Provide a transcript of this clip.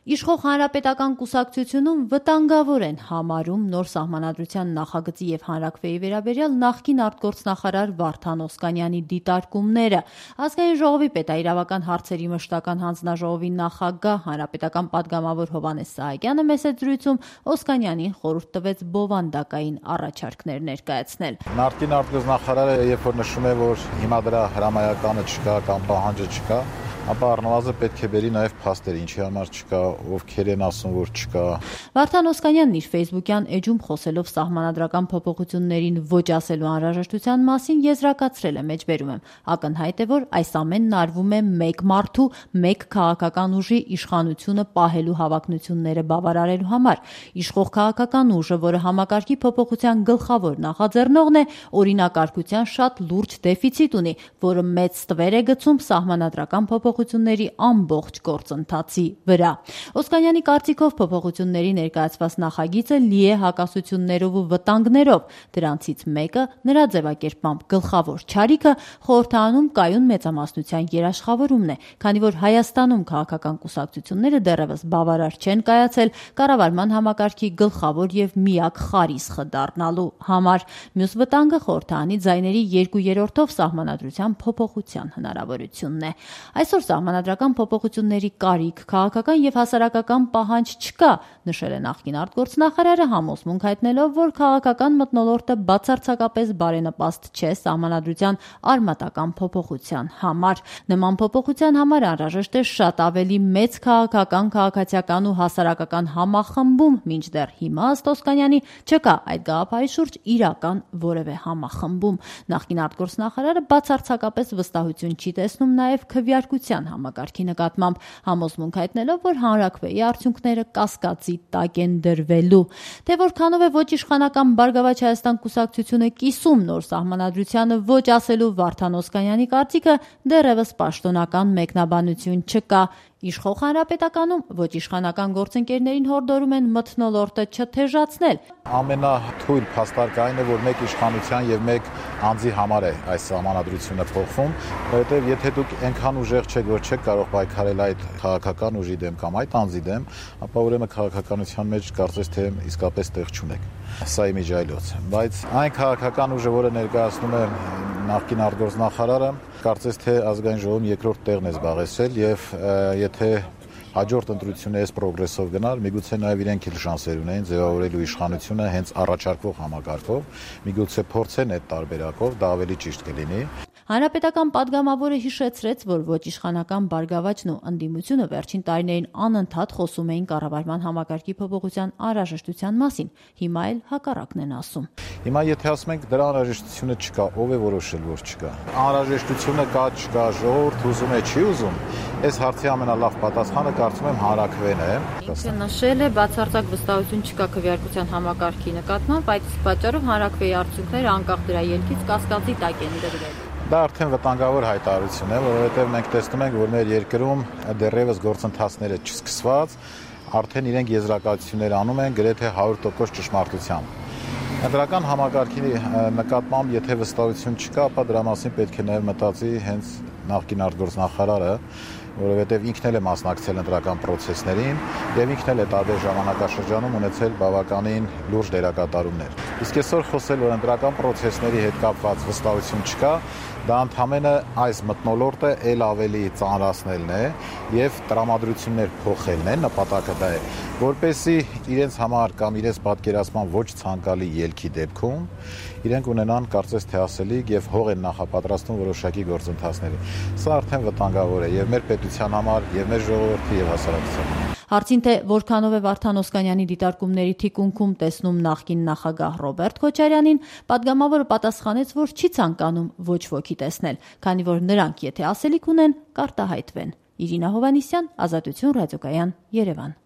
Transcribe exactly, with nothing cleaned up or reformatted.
Իշխող հանրապետական կուսակցությունում վտանգավոր են համարում նոր սահմանադրության նախագծի և հանրաքվեի վերաբերյալ նախկին արտգործնախարար Վարդան Օսկանյանի դիտարկումները։ Ազգային ժողովի պետաիրավական հարցերի մշտական հանձնաժողովի նախագահ հանրապետական պատգամավոր Հովհաննես Սահակյանը մեծ զրույցում Օսկանյանին խորհուրդ տվեց բովանդակային առաջարկներ ներկայացնել։ Նախկին արտգործնախարարը երբ որ նշում է, որ հիմա դրա հրամայականը չկա կամ պահանջը չկա, ապա առնվազն պետք է բերի նաև փաստեր, ինչի համար չկա, ովքեր են ասում, որ չկա։ Վարդան Օսկանյանն իր ֆեյսբուքյան էջում խոսելով սահմանադրական փոփոխություններին ոչ ասելու անհրաժեշտության մասին եզրակացրել է, մեջբերում եմ. ակնհայտ է, որ այս ամենն արվում է մեկ մարդու, մեկ քաղաքական ուժի իշխանությունը պահելու հավակնությունները բավարարելու համար։ Իշխող քաղաքական ուժը, որը համակարգի փոփոխության գլխավոր նախաձեռնողն է, օրինակարգության շատ լուրջ դեֆիցիտ ունի, որը մեծ ստվեր է գցում սահմանադրական փոփոխությունների ամբողջ գործընթացի վրա։ Օսկանյանի կարծիքով փոփոխությունների ներկայացված նախագիծը լի է հակասություններով ու վտանգներով։ Դրանցից մեկը նրա ձևակերպմամբ գլխավոր չարիքը խորհրդարանում կայուն մեծամասնության երաշխավորումն է, քանի որ Հայաստանում քաղաքական կուսակցությունները դեռևս բավարար չեն կայացել կառավարման համակարգի գլխավոր և միակ խարիսխը դառնալու համար։ Մյուս վտանգը խորհրդարանի ձայների երկու երրորդով սահմանադրության փոփոխության հնարավորությունն է։ Այսօր սահմանադրական փոփոխությունների կարիք, քաղաքական և հասարակական պահանջ չկա, նշել է նախկին արտգործնախարարը, համոզմունք հայտնելով, որ քաղաքական մթնոլորտը բացարձակապես բարենպաստ չէ սահմանադրության արմատական փոփոխության համար։ Նման փոփոխության համար անհրաժեշտ է շատ ավելի մեծ քաղաքական, քաղաքացիական ու հասարակական համախմբում, մինչդեռ հիմա, ըստ Օսկանյանի, չկա այդ գաղափարի շուրջ իրական որևէ համախմբում։ Նախկին արտգործնախարարը բացարձակապես վստահություն չի տեսնում նաև քվեարկության համակարգի նկատմամբ, համոզմունք հայտնելով, որ հանրաքվեի արդյունքները կասկածի տակ են դրվելու։ Թե որքանով է ոչ իշխանական Բարգավաճ Հայաստան կուսակցությունը կիսում նոր սահմանադրությանը ոչ ասելու Վարդան Օսկանյանի կարծիքը դեռևս պաշտոնական մեկնաբանություն չկա։ Իշխող հանրապետականում ոչ իշխանական գործընկերներին հորդորում են մթնոլորտը չթեժացնել։ Ամենաթույլ փաստարկը այն է, որ մեկ իշխանության և մեկ անձի համար է այս սահմանադրությունը փոխվում, որովհետև եթե դուք այնքան ուժեղ չեք, որ չեք կարող պայքարել այդ քաղաքական ուժի դեմ կամ այդ անձի դեմ, ապա ուրեմն քաղաքականության մեջ կարծես թե իսկապես տեղ չունեք։ Սա իմ իմիջիայլոց, բայց այն քաղաքական ուժը, որը ներկայացնում է նախկին արտգործնախարարը, կարծես թե ազգային ժողովում երկրորդ տեղն է զբաղեցրել եւ եթե հաջորդ ընտրությունը այս պրոգրեսով գնար, միգուցե նաև իրենք էլ շանսեր ունեին ձևավորելու իշխանությունը հենց առաջարկվող համակարգով, միգուցե փորձեն այդ տարբերակով, դա ավելի ճիշտ կլինի։ Հանրապետական պատգամավորը հիշեցրեց, որ ոչ իշխանական Բարգավաճն ու ընդդիմությունը վերջին տարիներին անընդհատ խոսում էին կառավարման համակարգի փոփոխության անհրաժեշտության մասին, հիմա էլ հակառակն են ասում։ Հիմա եթե ասում ենք դրա անհրաժեշտությունը չկա, ով է որոշել, որ չկա։ Անհրաժեշտությունը կա, չկա, ժողովուրդ ուզում է, չի ուզում։ Այս հարցի ամենալավ պատասխանը կարծում եմ հանրաքվեն է։ Ինքը նշել է, բացարձակ վստահություն չկա քվեարկության համակարգի նկատմամբ, այդ պատճառով հանրաքվեի արդյունքները անկախ դրա ելքից կասկածի տակ են դրվել։ Դա արդեն վտանգավոր հայտարարություն է, որովհետև մենք տեսնում ենք, որ մեր երկրում դեռևս գործընթացները չսկսված, արդեն իրենք եզրակացություններ անում են գրեթե հարյուր տոկոս ճշմարտությամբ։ Ընտրական համակարգի նկատմամբ եթե վստահություն չկա, ապա դրա մասին պետք է նաև մտածի հենց նախկին արտգործնախարարը, որովհետև ինքն էլ է մասնակցել ընտրական պրոցեսներին եւ ինքն էլ է տարբեր ժամանակաշրջանում ունեցել բավականին լուրջ դերակատարումներ։ Իսկ այսօր խոսել, որ ընտրական պրոցեսների հետ կապված վստահություն չկա, դա ընդհանրապես այս մթնոլորտը ել ավելի ծանրացնելն է եւ տրամադրություններ փոխելն է, նպատակը դա է, որպեսզի իրենց համար կամ իրենց պատկերացման ոչ ցանկալի ելքի դեպքում իրենք ունենան կարծես թե ասելիք եւ հող են նախապատրաստում որոշակի գործընթացների։ Սա արդեն վտանգավոր է եւ մեր պետության համար, եւ մեր ժողովրդի եւ հասարակության համար։ Հարցին, թե որքանով է Վարդան Օսկանյանի դիտարկումների թիկունքում տեսնում նախկին նախագահ Ռոբերտ Քոչարյանին, պատգամավորը պատասխանեց, որ չի ցանկանում ոչ ոքի տեսնել, քանի որ նրանք եթե ասելիք ունեն, կարտահայտվեն։ Իրինա Հովհաննիսյան, Ազատություն ռադիոկայան, Երևան։